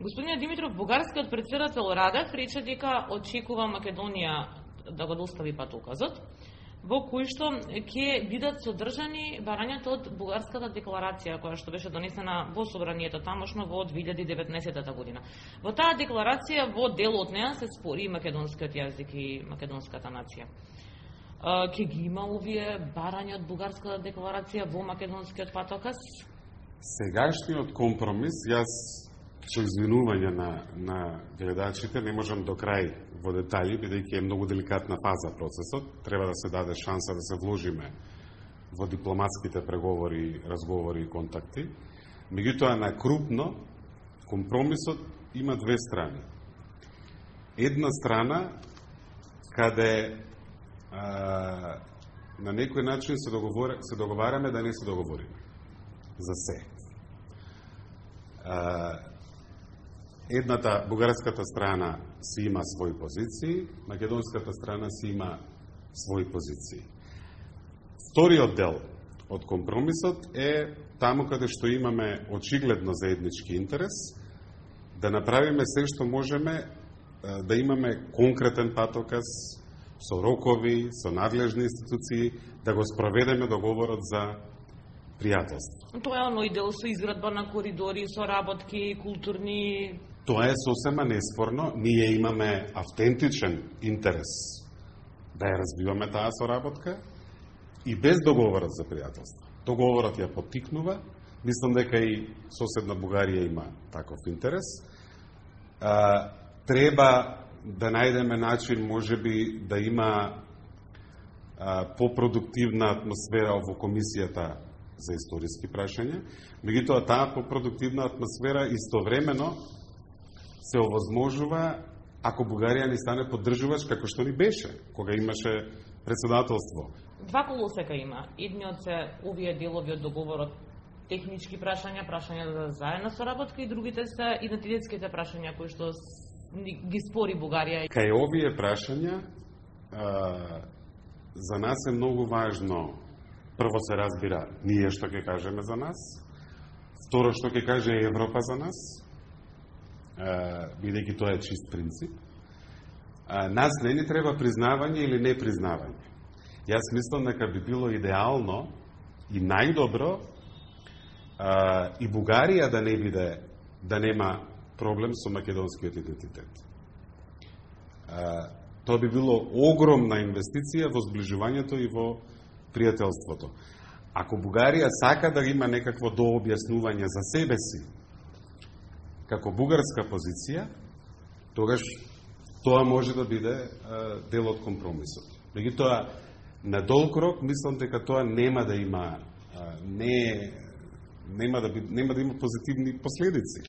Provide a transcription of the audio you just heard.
Господине Димитров, бугарскиот претседател Радев рече дека очекува Македонија да го достави патоказот, во кој што ќе бидат содржани барањата од бугарската декларација, која што беше донесена во собранието тамошно во 2019 година. Во таа декларација, во дел од неа се спори македонскиот јазик и македонската нација. Ќе ги има овие барања од бугарската декларација во македонскиот патоказ? Сегашниот компромис, јас со извинување на гледачите не можам до крај во детали, бидејќи е многу деликатна фаза процесот, треба да се даде шанса да се вложиме во дипломатските преговори, разговори и контакти. Меѓутоа, на крупно, компромисот има две страни. Една страна, каде на некој начин се договараме да не се договориме за се. Едната, бугарската страна си има своји позиции, македонската страна си има своји позиции. Вториот дел од компромисот е таму каде што имаме очигледно заеднички интерес, да направиме се што можеме да имаме конкретен патоказ со рокови, со надлежни институции, да го спроведеме договорот за пријателство. Тоа е оној дел со изградба на коридори, со работки, културни... Тоа е сосема неспорно. Ние имаме автентичен интерес да ја развиваме таа соработка и без договорот за пријателство. Договорот ја поттикнува. Мислам дека и соседна Бугарија има таков интерес. Треба да најдеме начин, можеби, да има попродуктивна атмосфера во комисијата за историски прашања. Меѓутоа, таа попродуктивна атмосфера истовремено се овозможува ако Бугарија не стане поддржувач како што ни беше, кога имаше председателство. Два колосека има. Едниот се овие делови од договорот, технички прашања, прашања за заедна соработка, и другите се идентитетските прашања кои што ги спори Бугарија. Кај овие прашања за нас е многу важно, прво се разбира ние што ќе кажеме за нас, второ што ќе каже Европа за нас, бидејќи тоа е чист принцип. Нас не ни треба признавање или не признавање. Јас мислам дека би било идеално и најдобро и Бугарија да нема проблем со македонскиот идентитет. Тоа би било огромна инвестиција во зближувањето и во пријателството. Ако Бугарија сака да има некакво дообјаснување за себе си како бугарска позиција, тогаш тоа може да биде дел од компромисот. Меѓутоа, на долг рок мислам дека тоа нема да има позитивни последици.